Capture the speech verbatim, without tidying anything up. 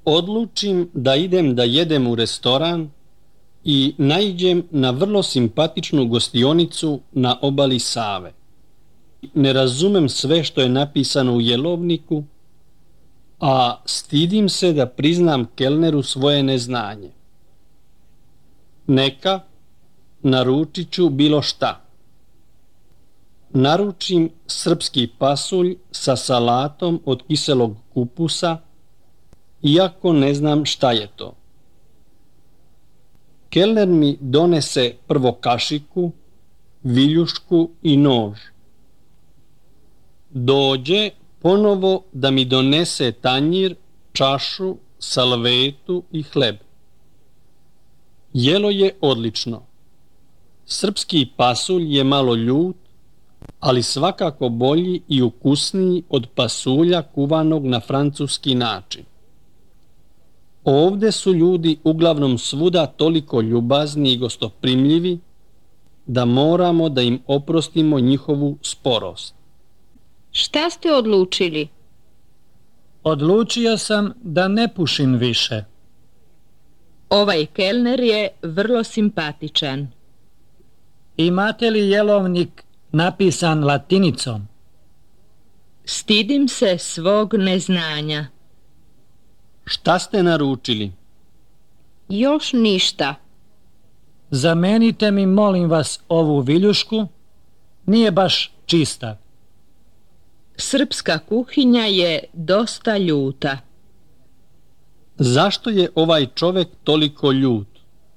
Odlučim da idem da jedem u restoran i naiđem na vrlo simpatičnu gostionicu na obali Save. Ne razumem sve što je napisano u jelovniku, a stidim se da priznam kelneru svoje neznanje. Neka, naručit ću bilo šta. Naručim srpski pasulj sa salatom od kiselog kupusa, iako ne znam šta je to. Kelner mi donese prvo kašiku, viljušku i nož. Dođe ponovo da mi donese tanjir, čašu, salvetu i hleb. Jelo je odlično. Srpski pasulj je malo ljut, ali svakako bolji i ukusniji od pasulja kuvanog na francuski način. Ovde su ljudi uglavnom svuda toliko ljubazni i gostoprimljivi da moramo da im oprostimo njihovu sporost. Šta ste odlučili? Odlučio sam da ne pušim više. Ovaj kelner je vrlo simpatičan. Imate li jelovnik napisan latinicom? Stidim se svog neznanja. Šta ste naručili? Još ništa. Zamenite mi, molim vas, ovu viljušku. Nije baš čista. Srpska kuhinja je dosta ljuta. Zašto je ovaj čovek toliko ljut?